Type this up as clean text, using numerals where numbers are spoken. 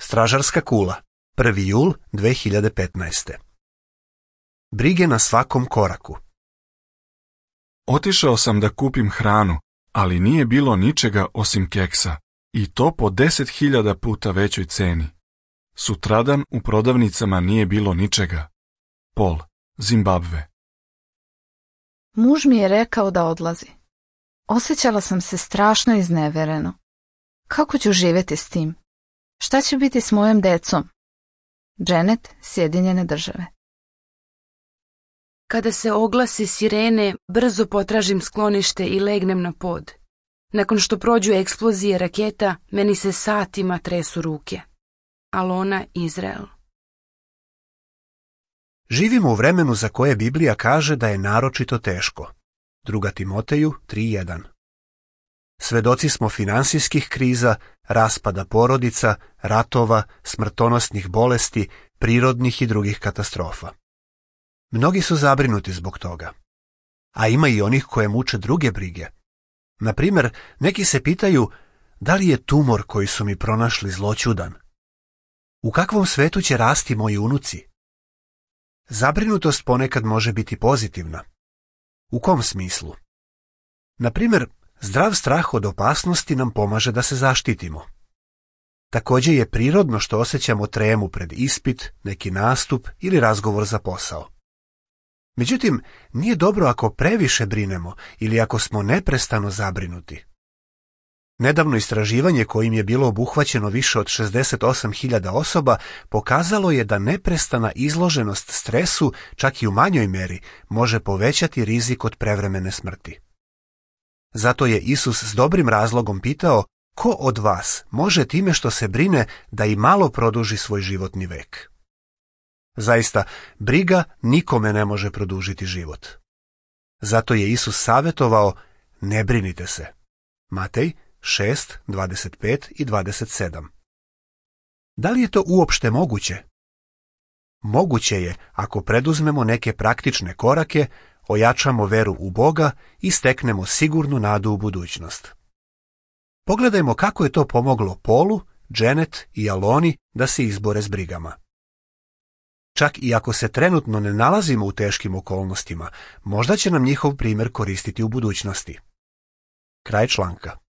Stražarska kula, 1. jul 2015. Brige na svakom koraku. Otišao sam da kupim hranu, ali nije bilo ničega osim keksa, i to po 10.000 puta većoj ceni. Sutradan u prodavnicama nije bilo ničega. Pol, Zimbabve. Muž mi je rekao da odlazi. Osjećala sam se strašno iznevereno. Kako ću živjeti s tim? Šta će biti s mojom decom? Janet, Sjedinjene Države. Kada se oglasi sirene, brzo potražim sklonište i legnem na pod. Nakon što prođu eksplozije raketa, meni se satima tresu ruke. Alona, Izrael. Živimo u vremenu za koje Biblija kaže da je naročito teško. 2. Timoteju 3.1. Svedoci smo finansijskih kriza, raspada porodica, ratova, smrtonosnih bolesti, prirodnih i drugih katastrofa. Mnogi su zabrinuti zbog toga. A ima i onih koje muče druge brige. Na primjer, neki se pitaju da li je tumor koji su mi pronašli zloćudan. U kakvom svetu će rasti moji unuci? Zabrinutost ponekad može biti pozitivna. U kom smislu? Na primjer, zdrav strah od opasnosti nam pomaže da se zaštitimo. Također je prirodno što osjećamo tremu pred ispit, neki nastup ili razgovor za posao. Međutim, nije dobro ako previše brinemo ili ako smo neprestano zabrinuti. Nedavno istraživanje kojim je bilo obuhvaćeno više od 68.000 osoba pokazalo je da neprestana izloženost stresu, čak i u manjoj meri, može povećati rizik od prevremene smrti. Zato je Isus s dobrim razlogom pitao, ko od vas može time što se brine da i malo produži svoj životni vek? Zaista, briga nikome ne može produžiti život. Zato je Isus savjetovao, ne brinite se. Matej 6, 25 i 27. Da li je to uopšte moguće? Moguće je ako preduzmemo neke praktične korake, ojačamo veru u Boga i steknemo sigurnu nadu u budućnost. Pogledajmo kako je to pomoglo Polu, Janet i Aloni da se izbore s brigama. Čak i ako se trenutno ne nalazimo u teškim okolnostima, možda će nam njihov primjer koristiti u budućnosti. Kraj članka.